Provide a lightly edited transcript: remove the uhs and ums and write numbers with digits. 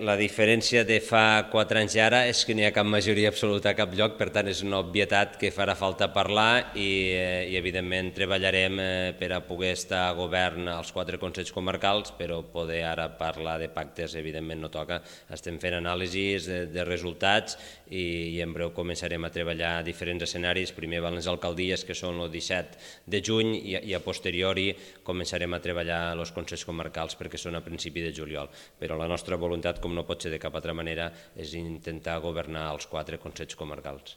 La diferència de fa 4 anys i ara és que n'hi ha cap majoria absoluta a cap lloc, per tant és una obvietat que farà falta parlar i evidentment treballarem per a poder estar a govern als 4 consells comarcals, però poder ara parlar de pactes evidentment no toca. Estem fent anàlisis de resultats i en breu començarem a treballar a diferents escenaris, primer van les alcaldies que són el 17 de juny i a posteriori començarem a treballar els consells comarcals perquè són a principi de juliol, però la nostra voluntat, com no pot ser de cap altra manera, és intentar governar els 4 consells comarcals.